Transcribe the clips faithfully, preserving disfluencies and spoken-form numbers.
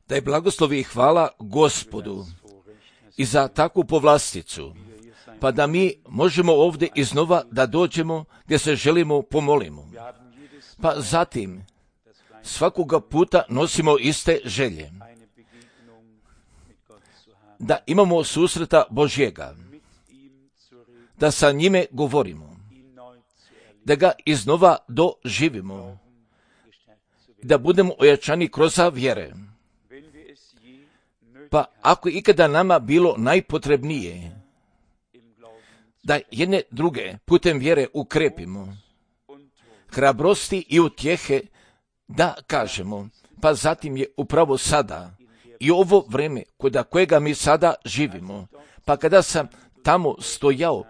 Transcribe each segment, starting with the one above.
Da je blagoslovi i hvala Gospodu i za takvu povlasticu, pa da mi možemo ovdje iznova da dođemo gdje se želimo pomolimo. Pa zatim svakoga puta nosimo iste želje. Da imamo susreta Božjega, da sa njime govorimo, da ga iznova doživimo, da budemo ojačani kroz vjere. Pa ako ikada nama bilo najpotrebnije, da jedne druge putem vjere ukrepimo, hrabrosti i utjehe da kažemo, pa zatim je upravo sada i ovo vreme kod kojega mi sada živimo, pa kada sam tamo stojao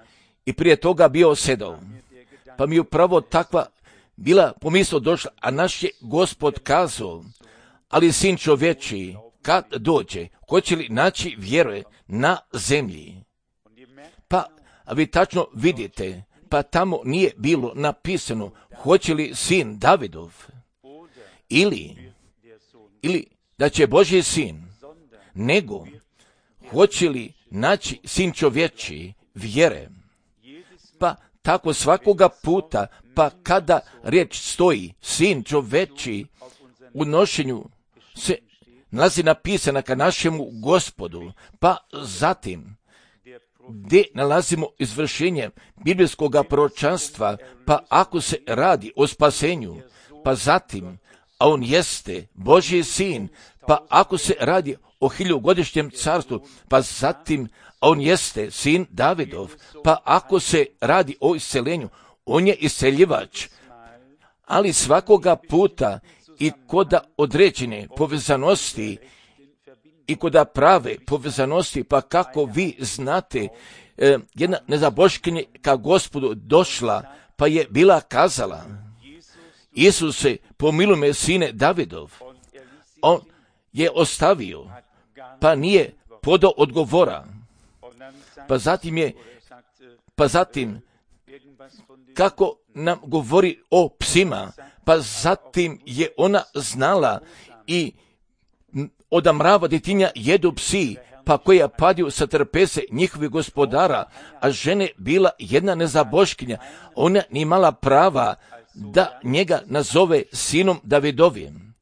i prije toga bio sedao, pa mi je upravo takva bila pomisao došla, a naš je Gospod kazao, ali sin čovječiji, kad dođe, hoće li naći vjere na zemlji? Pa vi tačno vidite, pa tamo nije bilo napisano, hoće li sin Davidov, ili, ili da će Božji sin, nego hoće li naći sin čovječiji vjere. Pa tako svakoga puta, pa kada riječ stoji sin čovječiji, u nošenju se nalazi napisana ka našemu Gospodu, pa zatim gdje nalazimo izvršenje biblijskog proročanstva, pa ako se radi o spasenju, pa zatim, a on jeste Božji sin, pa ako se radi o hiljugodišnjem carstvu, pa zatim, a on jeste sin Davidov, pa ako se radi o isceljenju, on je isceljivač, ali svakoga puta i koda određene povezanosti i koda prave povezanosti, pa kako vi znate, eh, jedna nezaboškinja ka Gospodu došla, pa je bila kazala, Isuse, pomiluj me, sine Davidov. On je ostavio, pa nije podao odgovora. Pa zatim je, pa zatim, kako nam govori o psima, pa zatim je ona znala i od mrava djetinja jedu psi, pa koja padju sa trpese njihovih gospodara, a žene bila jedna nezaboškinja, ona nije imala prava da njega nazove sinom Davidovim.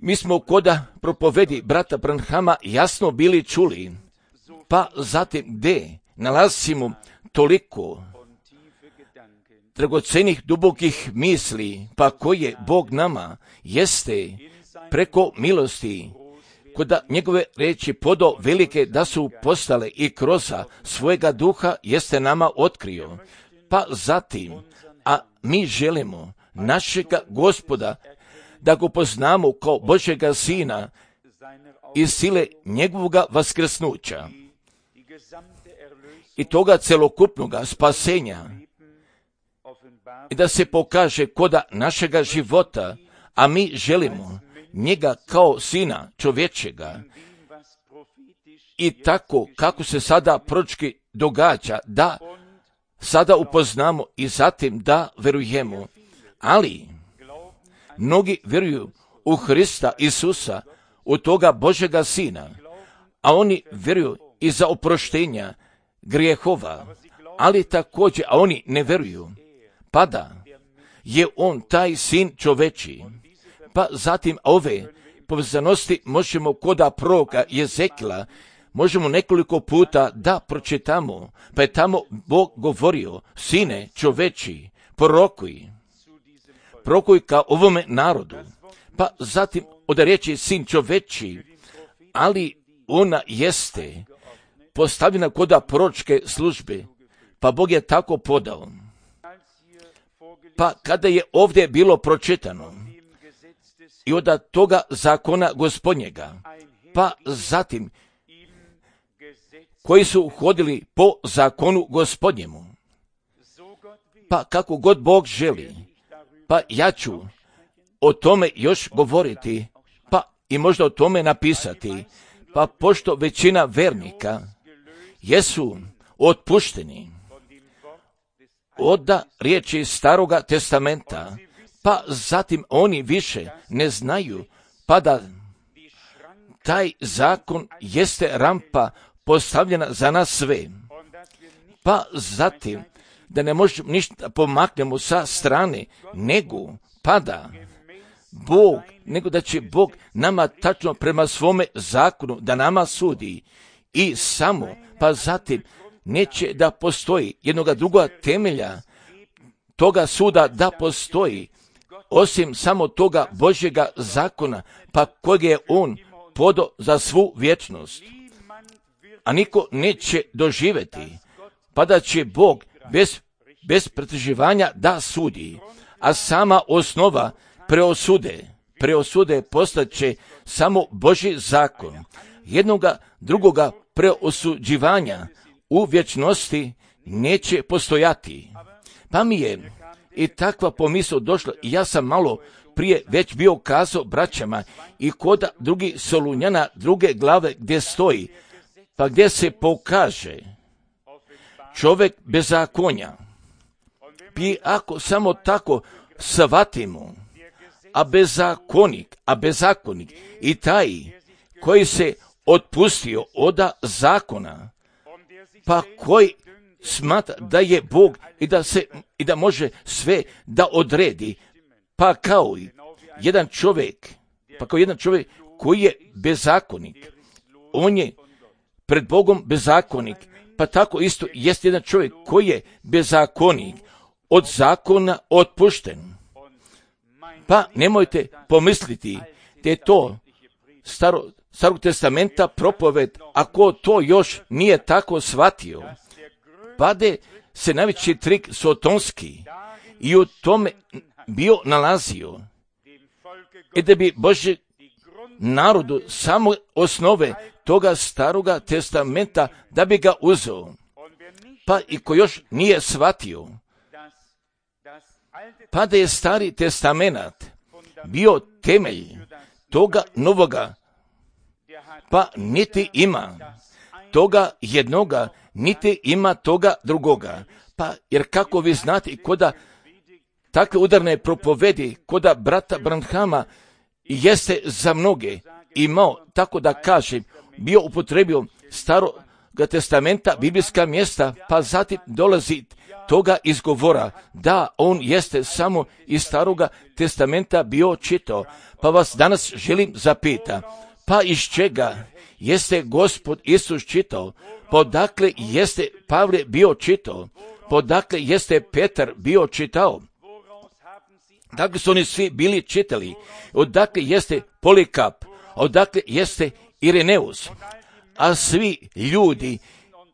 Mi smo koda propovedi brata Branhama jasno bili čuli, pa zatim gdje nalazimo toliko dragocenih dubokih misli, pa koje Bog nama jeste preko milosti, koda njegove riječi podao velike da su postale i kroz svojega duha jeste nama otkrio. Pa zatim, a mi želimo našega Gospoda da go poznamo kao Božjega sina iz sile njegovoga vaskrsnuća i toga celokupnoga spasenja, i da se pokaže koda našega života, a mi želimo njega kao sina čovječega. I tako kako se sada proročki događa, da sada upoznamo i zatim da verujemo. Ali mnogi vjeruju u Hrista Isusa, u toga Božjega sina, a oni vjeruju i za oproštenja grijehova, ali također, a oni ne vjeruju, pa da je on taj sin čovečiji. Pa zatim ove povezanosti možemo koda proroka Jezekila, možemo nekoliko puta da pročitamo, pa je tamo Bog govorio, sine čovečiji, prorokuj, prorokuj ka ovome narodu. Pa zatim od riječi sin čovečiji, ali ona jeste postavljena koda proročke službe, pa Bog je tako podao. Pa kada je ovdje bilo pročitano i od toga zakona Gospodnjega, pa zatim koji su hodili po zakonu Gospodnjemu, pa kako god Bog želi, pa ja ću o tome još govoriti, pa i možda o tome napisati, pa pošto većina vernika jesu otpušteni od riječi Staroga testamenta, pa zatim oni više ne znaju pa da taj zakon jeste rampa postavljena za nas sve. Pa zatim, da ne možemo ništa pomaknemo sa strane, nego pa da Bog, nego da će Bog nama tačno prema svome zakonu da nama sudi i samo, pa zatim neće da postoji jednoga druga temelja toga suda da postoji, osim samo toga Božjega zakona, pa kojeg je On podao za svu vječnost. A niko neće doživjeti, pa da će Bog bez, bez pretraživanja da sudi, a sama osnova preosude, preosude postaće samo Božji zakon. Jednoga drugoga preosuđivanja u vječnosti neće postojati. Pa mi je i takva pomisao došla i ja sam malo prije već bio kazao braćama i kod drugih Solunjana druge glave gdje stoji, pa gdje se pokaže čovjek bezakonja. I ako samo tako shvatimo, a bezakonik, a bezakonik i taj koji se otpustio oda zakona, pa koji smatra da je Bog i da se i da može sve da odredi, pa kao i jedan čovjek, pa kao jedan čovjek koji je bezakonik, on je pred Bogom bezakonik, pa tako isto jest jedan čovjek koji je bezakonik, od zakona otpušten. Pa nemojte pomisliti da je to staro, starog testamenta propoved, ako to još nije tako shvatio, pade se najveći trik sotonski i u tome bio nalazio, i da bi Božji narodu samo osnove toga staroga testamenta da bi ga uzeo. Pa i ko još nije shvatio, pa da je stari testament bio temelj toga novoga, pa niti ima toga jednoga, niti ima toga drugoga. Pa jer kako vi znate i koda takve udarne propovedi, koda brata Branhama jeste za mnoge imao, tako da kažem, bio upotrebio staroga testamenta, biblijska mjesta, pa zatim dolazi toga izgovora, da on jeste samo iz staroga testamenta bio čitao. Pa vas danas želim zapita, pa iz čega jeste Gospod Isus čitao? Pa odakle jeste Pavle bio čitao? Pa odakle jeste Petar bio čitao? Dakle su oni svi bili čitali. Odakle jeste Polikap? Odakle jeste Ireneus? A svi ljudi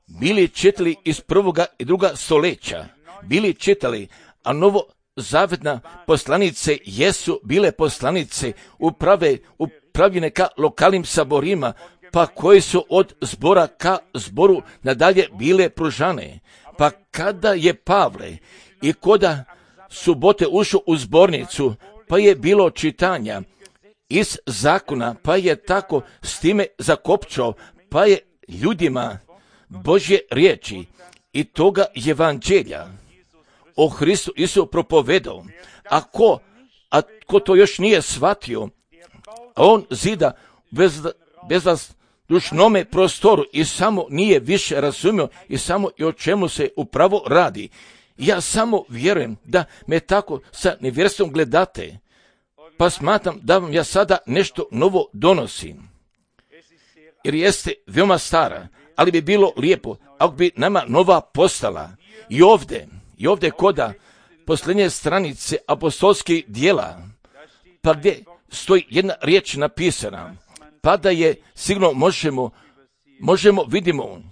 bili čitali iz prvoga i druga stoljeća. Bili čitali, a novo zavetna poslanice jesu bile poslanice uprave, upravljene ka lokalnim saborima, pa koji su od zbora ka zboru nadalje bile pružane. Pa kada je Pavle i koda subote ušao u zbornicu, pa je bilo čitanja iz zakona, pa je tako s time zakopčao, pa je ljudima Božje riječi i toga evanđelja o Hristu Isu propovedao. Ako, a ko to još nije shvatio, on zida bez, bez vas dušnome prostoru i samo nije više razumio i samo i o čemu se upravo radi. Ja samo vjerujem da me tako sa nevjerstvom gledate, pa smatram da vam ja sada nešto novo donosim. Jer jeste veoma stara, ali bi bilo lijepo ako bi nama nova postala. I ovdje, i ovdje koda posljednje stranice apostolskih dijela, pa gdje stoji jedna riječ napisana, pa da je sigurno možemo, možemo vidimo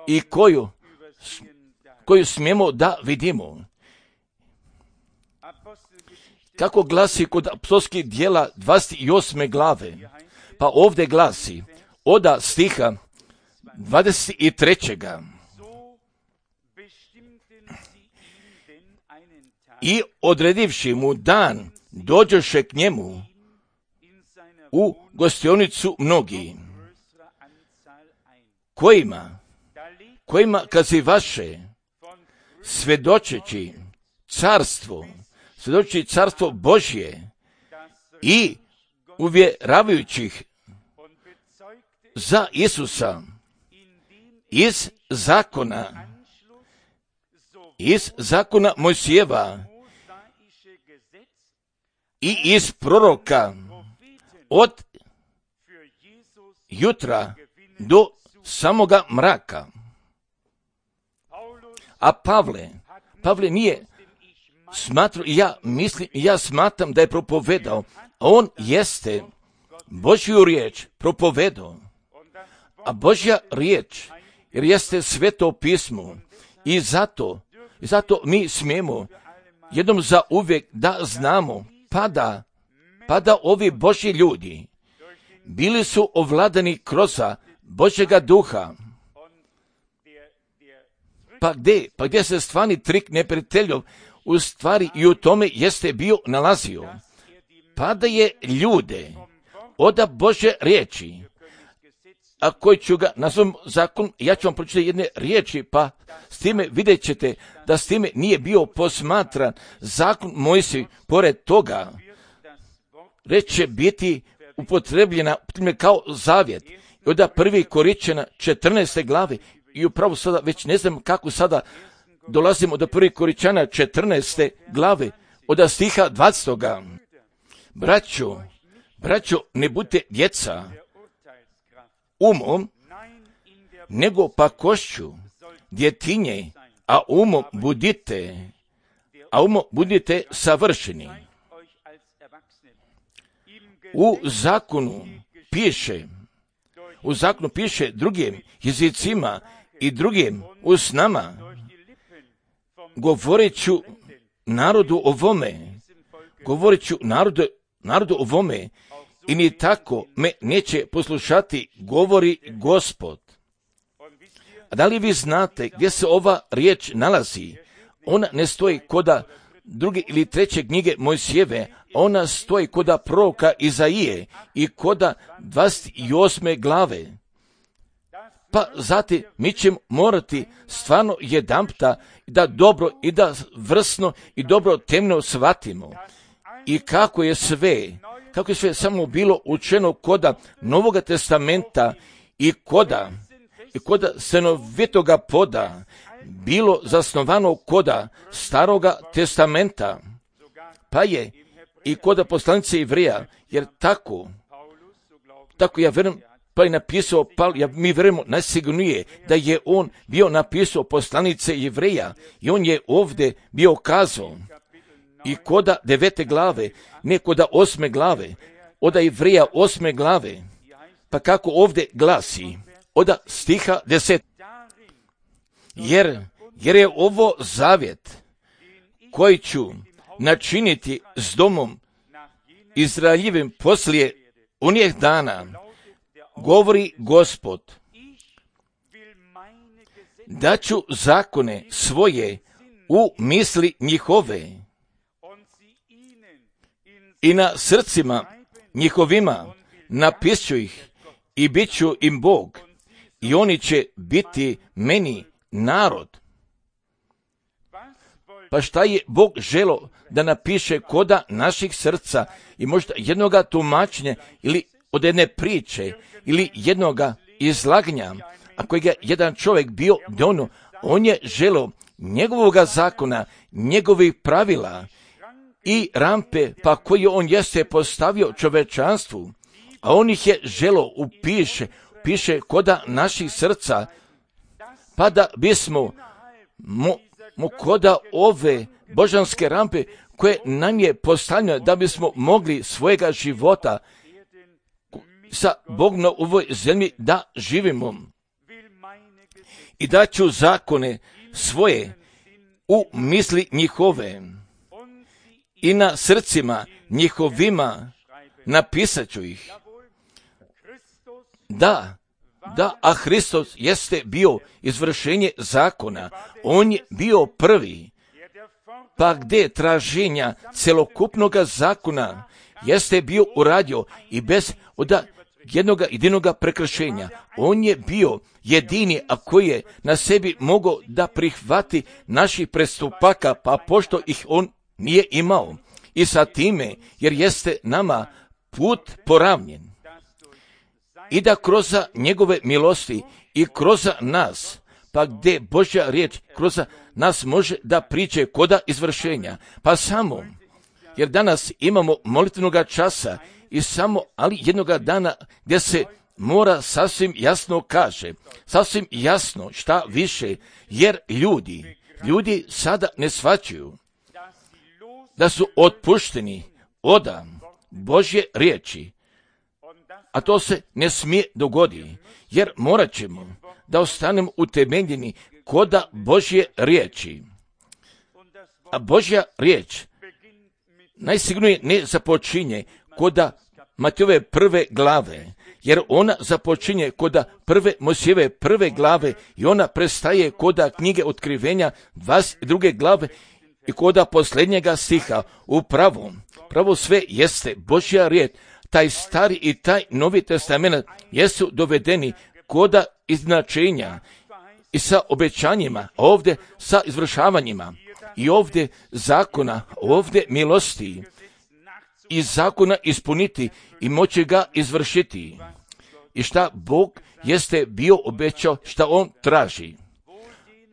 i koju, koju smijemo da vidimo. Kako glasi kod apostolskih dijela dvadeset osme glave, pa ovdje glasi oda stiha dvadeset trećeg I odredivši mu dan, dođoše k njemu u gostionicu mnogi, kojima, kojima kazi vaše, svjedočeći carstvo, svjedočeći carstvo Božje i uvjeravajućih za Isusa iz zakona, iz zakona Mojsijeva i iz proroka od jutra do samoga mraka. A Pavle, Pavle nije smatrao, ja mislim, ja smatram da je propovedao, on jeste Božju riječ propovedao, a Božja riječ jer jeste sveto pismo i zato, i zato mi smijemo jednom za uvijek da znamo, pa da, pa da ovi Božji ljudi bili su ovladani kroz Božjega duha. Pa gdje, pa gdje se stvarni trik neprijateljov u stvari i u tome jeste bio nalazio? Pa da je ljude od Božje riječi, a koji ću ga nazvom zakon, ja ću vam pročitati jedne riječi, pa s time vidjet ćete da s time nije bio posmatran zakon Mojsij, pored toga reč će biti upotrebljena kao zavjet. I onda prvi Korinćana četrnaeste glave, i upravo sada već ne znam kako sada dolazimo do prvi Korinćana četrnaeste glave, od stiha dvadesetoga. Braćo, braćo, ne budite djeca umom, nego pa košću, djetinje, a umom budite, a umom budite savršeni. U zakonu piše, u zakonu piše drugim jezicima i drugim usnama, govorit ću narodu ovome, govorit ću narodu, narodu ovome, i ni tako me neće poslušati, govori Gospod. A da li vi znate gdje se ova riječ nalazi? Ona ne stoji koda druge ili treće knjige Mojsijeve, ona stoji koda proroka Izaije i koda dvadeset osme glave. Pa zatim mi ćemo morati stvarno jedanputa da dobro i da vrsno i dobro temno shvatimo. I kako je sve, kako je sve samo bilo učeno koda Novoga testamenta i koda, i koda stanovitoga poda, bilo zasnovano koda Staroga testamenta, pa je i koda poslanice Jevreja, jer tako, tako ja vjerujem, pa je napisao, pa ja, mi vjerujemo najsigurnije da je on bio napisao poslanice Jevreja i on je ovdje bio kazao i koda devete glave, ne koda osme glave, oda Jevreja osme glave, pa kako ovdje glasi, oda stiha deset. Jer, jer je ovo zavjet koji ću načiniti s domom Izraeljevim poslije onih dana, govori Gospod, da ću zakone svoje u misli njihove i na srcima njihovima napišću ih i bit ću im Bog i oni će biti meni narod. Pa šta je Bog želo da napiše koda naših srca i možda jednoga tumačenja ili od jedne priče ili jednoga izlaganja, a kojeg je jedan čovjek bio dono, on je želo njegovoga zakona, njegovih pravila i rampe, pa koje on jeste postavio čovečanstvu, a on ih je želo upiše, piše koda naših srca, pa da bismo mo, mo koda ove božanske rampe koje nam je postavljeno da bismo mogli svojega života sa Bogom na ovoj zemlji da živimo. I da ću zakone svoje u misli njihove i na srcima njihovima napisat ću ih. Da, da, a Hristos jeste bio izvršenje zakona. On je bio prvi. Pa gdje traženja celokupnog zakona jeste bio uradio i bez oda jednoga jedinoga prekršenja. On je bio jedini, a koji je na sebi mogao da prihvati naših prestupaka, pa pošto ih on nije imao. i sa time, jer jeste nama put poravnjen. I da kroz njegove milosti i kroz nas, pa gdje Božja riječ kroz nas može da priđe koda izvršenja, pa samo, jer danas imamo molitvenoga časa i samo, ali jednoga dana gdje se mora sasvim jasno kaže, sasvim jasno šta više, jer ljudi, ljudi sada ne shvaćaju da su otpušteni od Božje riječi, a to se ne smije dogoditi, jer morat ćemo da ostanemo utemeljeni koda Božje riječi. A Božja riječ najsigurnije ne započinje koda Matejove prve glave, jer ona započinje koda prve Mojsijeve prve glave i ona prestaje koda knjige Otkrivenja dvadeset druge glave i koda posljednjega stiha. Upravo, pravo sve jeste Božja riječ, taj stari i taj novi testament jesu dovedeni koda izjednačenja i sa obećanjima, ovdje sa izvršavanjima i ovdje zakona, ovdje milosti i zakona ispuniti i moći ga izvršiti. I šta Bog jeste bio obećao, šta on traži.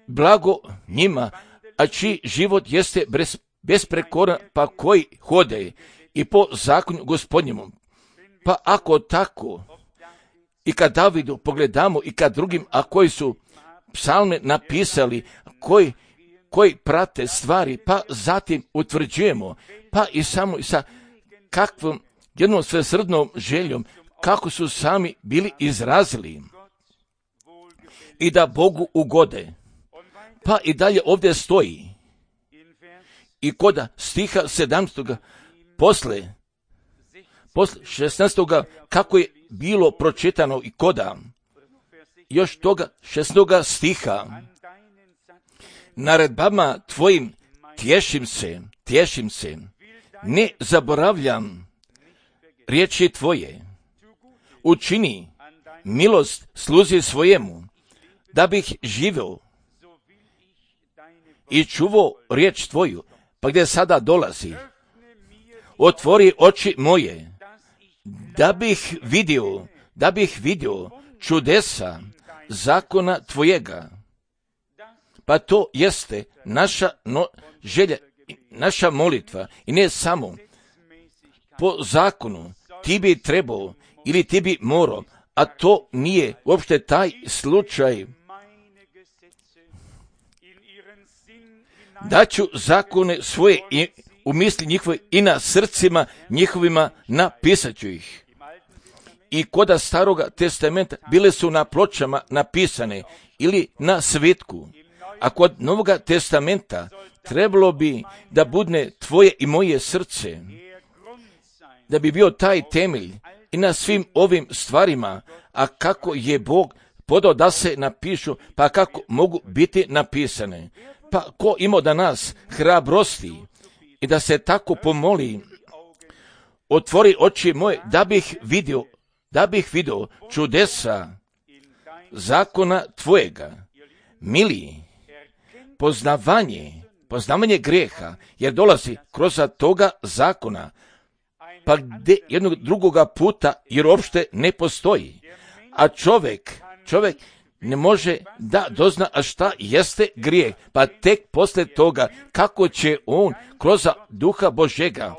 Blago njima, a čiji život jeste besprekoran, pa koji hode i po zakonu Gospodnjemu. Pa ako tako, i kad Davidu pogledamo i kad drugim, a koji su psalme napisali, koji, koji prate stvari, pa zatim utvrđujemo, pa i samo i sa kakvom jednom svesrdnom željom, kako su sami bili izrazili i da Bogu ugode. Pa i dalje ovdje stoji i koda stiha sedamnaestog posle, posle šesnaestog kako je bilo pročitano i koda još toga šesnaestog stiha, naredbama tvojim tješim se, tješim se, ne zaboravljam riječi tvoje, učini milost sluzi svojemu, da bih živio i čuvao riječ tvoju. Pa gdje sada dolazi, otvori oči moje, da bih vidio, da bih vidio čudesa zakona tvojega. Pa to jeste naša no, želja, naša molitva i ne samo po zakonu ti bi trebao ili ti bi morao, a to nije uopšte taj slučaj. Daću zakone svoje i u misli njihove i na srcima njihovima napisat ću ih. I koda staroga testamenta bile su na pločama napisane ili na svitku, a kod novoga testamenta trebalo bi da budne tvoje i moje srce, da bi bio taj temelj i na svim ovim stvarima, a kako je Bog podao da se napišu, pa kako mogu biti napisane. Pa ko ima da nas hrabrosti i da se tako pomoli, otvori oči moje da bih vidio, da bih vidio čudesa zakona tvojega. Mili, poznavanje, poznavanje greha, jer dolazi kroz toga zakona, pa gdje jednog drugoga puta, jer uopšte ne postoji. A čovjek, čovjek ne može da dozna a šta jeste grijeh, pa tek posle toga kako će on kroz duha Božega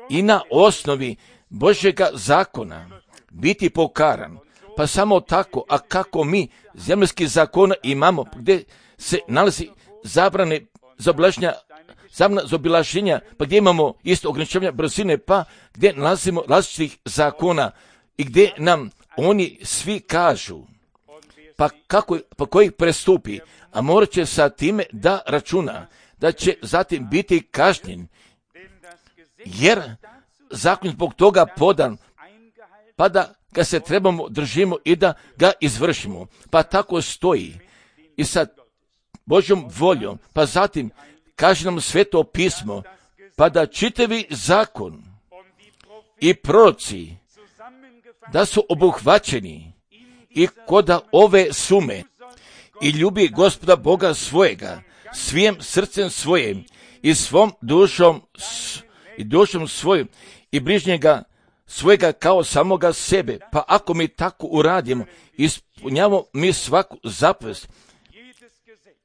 i na osnovi Božega zakona biti pokaran. Pa samo tako, a kako mi zemljski zakona imamo, gdje se nalazi zabrane za obilaženja, zabrana za obilaženja, pa gdje imamo isto ograničenja brzine, pa gdje nalazimo različitih zakona i gdje nam oni svi kažu, pa kako, pa koji prestupi, a morat će sa time da računa, da će zatim biti kažnjen, jer zakon zbog toga podan, pa da ga se trebamo držimo i da ga izvršimo. Pa tako stoji i sa Božjom voljom, pa zatim kaže nam Sveto pismo, pa da čitavi zakon i proroci da su obuhvaćeni i koda ove sume i ljubi Gospoda Boga svojega svim srcem svojim i svom dušom i dušom svoju i bližnjega svojega kao samoga sebe. Pa ako mi tako uradimo, ispunjavamo mi svaku zapovest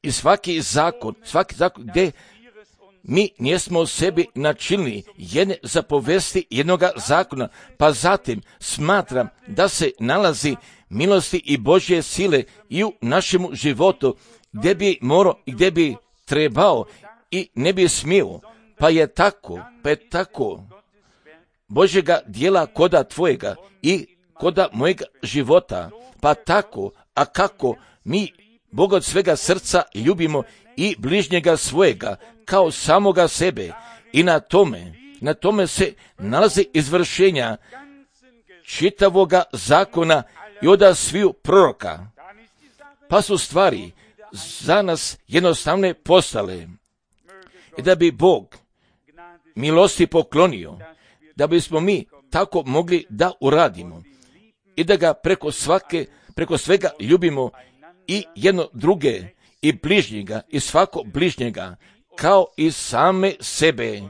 i svaki zakon, svaki zakon gdje mi nismo sebi načinili jedne zapovesti jednoga zakona, pa zatim smatram da se nalazi milosti i Božje sile i u našemu životu, gdje bi morao i gdje bi trebao i ne bi smio, pa je tako, pa je tako Božjega dijela koda tvojega i koda mojega života, pa tako, a kako mi Boga od svega srca ljubimo i bližnjega svojega kao samoga sebe i na tome, na tome se nalazi izvršenja čitavoga zakona i od sviju proroka, pa su stvari za nas jednostavne postale i da bi Bog milosti poklonio, da bismo mi tako mogli da uradimo i da ga preko svake, preko svega ljubimo i jedno druge i bližnjega i svako bližnjega kao i same sebe.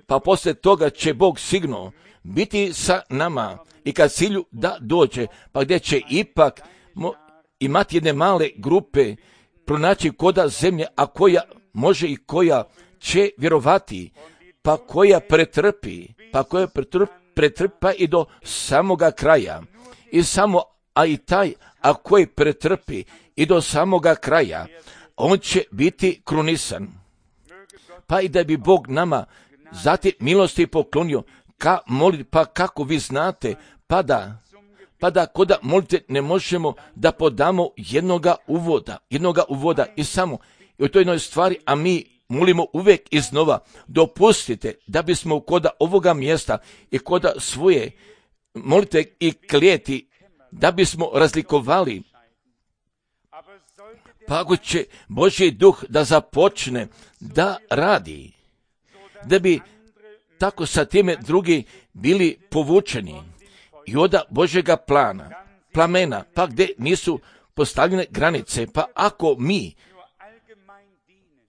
Pa poslije toga će Bog sigurno biti sa nama i kad cilju da dođe, pa gdje će ipak mo, imati jedne male grupe pronaći koda zemlje, a koja može i koja će vjerovati, pa koja pretrpi, pa koja pretrpi, pretrpa i do samoga kraja. I samo, a i taj, a koji pretrpi i do samoga kraja, on će biti krunisan. Pa i da bi Bog nama zatim milosti poklonio, ka moli, pa kako vi znate, pa da, pa da koda molite ne možemo da podamo jednoga uvoda, jednoga uvoda i samo i u toj jednoj stvari, a mi molimo uvijek iznova, dopustite da bismo koda ovoga mjesta i koda svoje molite i klijeti, da bismo razlikovali. Pa ako će Božji duh da započne da radi, da bi tako sa time drugi bili povučeni i oda Božjega plana, plamena, pa gdje nisu postavljene granice, pa ako mi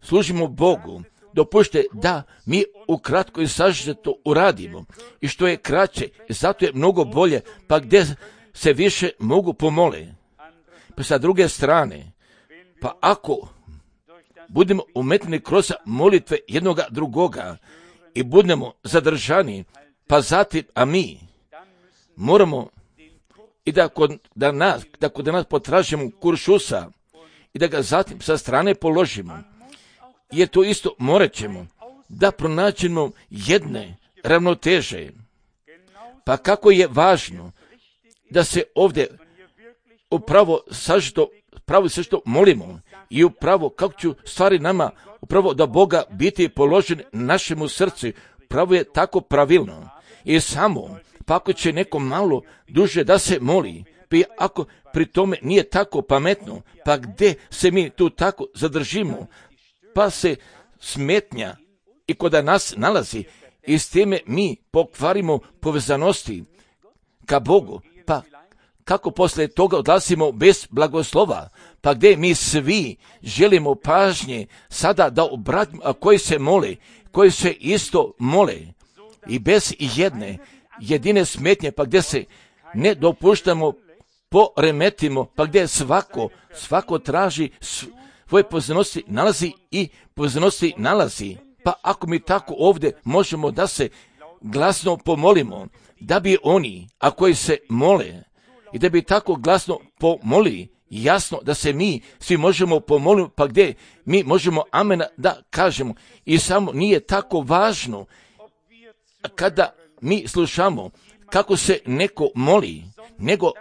služimo Bogu, dopušte da mi ukratko i sažeto uradimo i što je kraće, zato je mnogo bolje, pa gdje se više mogu pomole. Pa sa druge strane, pa ako budemo umetni kroz molitve jednoga drugoga i budemo zadržani, pa zatim, a mi moramo i da kod da nas, da kod nas potražimo kuršusa i da ga zatim sa strane položimo, jer to isto morat ćemo da pronaćemo jedne ravnoteže. Pa kako je važno da se ovdje upravo sažito, pravo sve što molimo i upravo kako ću stvari nama, upravo da Boga biti položen našemu srcu, pravo je tako pravilno. I samo, pa ako će neko malo duže da se moli, pa ako pri tome nije tako pametno, pa gdje se mi tu tako zadržimo, pa se smetnja i kod nas nalazi i s time mi pokvarimo povezanosti ka Bogu, pa kako poslije toga odlazimo bez blagoslova, pa gdje mi svi želimo pažnje sada da obratimo, a koji se mole, koji se isto mole i bez jedne jedine smetnje, pa gdje se ne dopuštamo, poremetimo, pa gdje svako, svako traži svoje pozornosti nalazi i pozornosti nalazi. Pa ako mi tako ovdje možemo da se glasno pomolimo, da bi oni, a koji se mole, i da bi tako glasno pomoli, jasno da se mi svi možemo pomoliti, pa gdje mi možemo amena da kažemo. I samo nije tako važno kada mi slušamo kako se neko moli, nego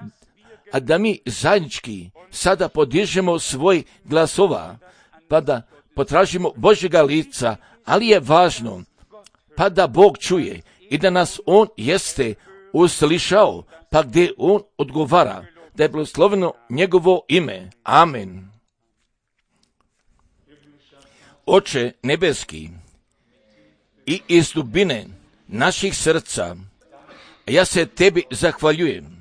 a da mi zajednički sada podižemo svoj glasova, pa da potražimo Božjega lica, ali je važno pa da Bog čuje i da nas On jeste uslišao, pa gdje On odgovara, da je blagosloveno njegovo ime. Amen. Oče nebeski, i iz dubine naših srca, ja se tebi zahvaljujem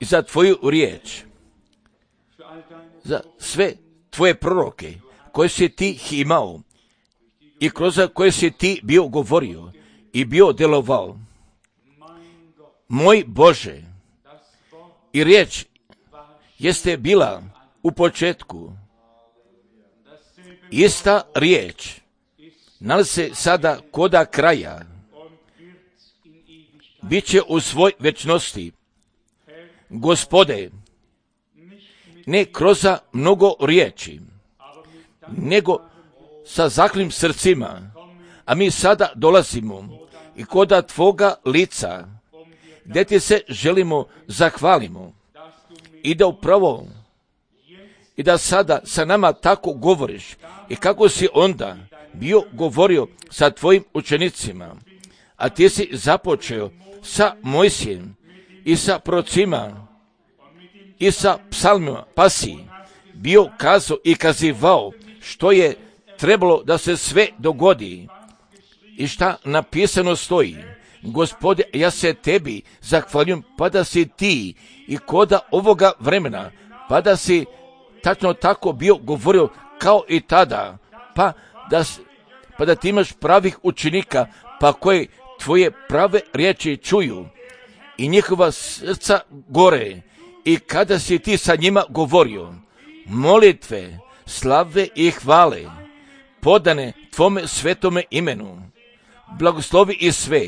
i za tvoju riječ, za sve tvoje proroke koje si ti imao i kroz koje si ti bio govorio i bio djelovao. Moj Bože, i riječ jeste bila u početku. Ista riječ nalazi se sada koda kraja. Biće u svoj večnosti. Gospode, ne kroz mnogo riječi, nego sa zahvalnim srcima, a mi sada dolazimo i koda Tvoga lica, gdje ti se želimo zahvalimo i da upravo i da sada sa nama tako govoriš i kako si onda bio govorio sa tvojim učenicima, a ti si započeo sa Mojsijem i sa procima i sa psalmima, pa si bio kazao i kazivao što je trebalo da se sve dogodi i šta napisano stoji. Gospode, ja se tebi zahvaljujem, pa da si ti i koda ovoga vremena, pa da si tačno tako bio govorio kao i tada, pa da, pa da ti imaš pravih učenika, pa koji tvoje prave riječi čuju i njihova srca gore, i kada si ti sa njima govorio, molitve, slave i hvale, podane tvome svetome imenu, blagoslovi i sve,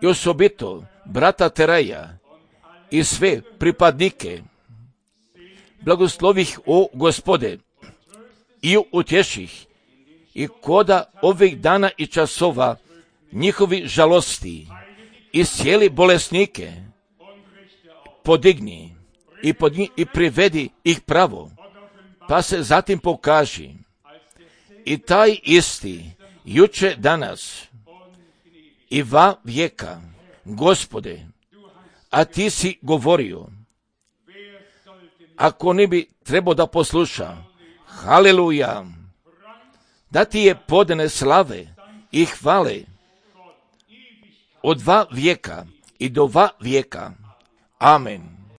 i osobito brata Teraja i sve pripadnike, blagoslovih o Gospode i utješih i koda ovih dana i časova njihovi žalosti i cijeli bolesnike podigni i, podni, i privedi ih pravo, pa se zatim pokaži i taj isti juče danas i va vijeka, Gospode, a ti si govorio, ako ne bi trebao da posluša, haleluja, da ti je podane slave i hvale od dva vijeka i do va vijeka. Amen.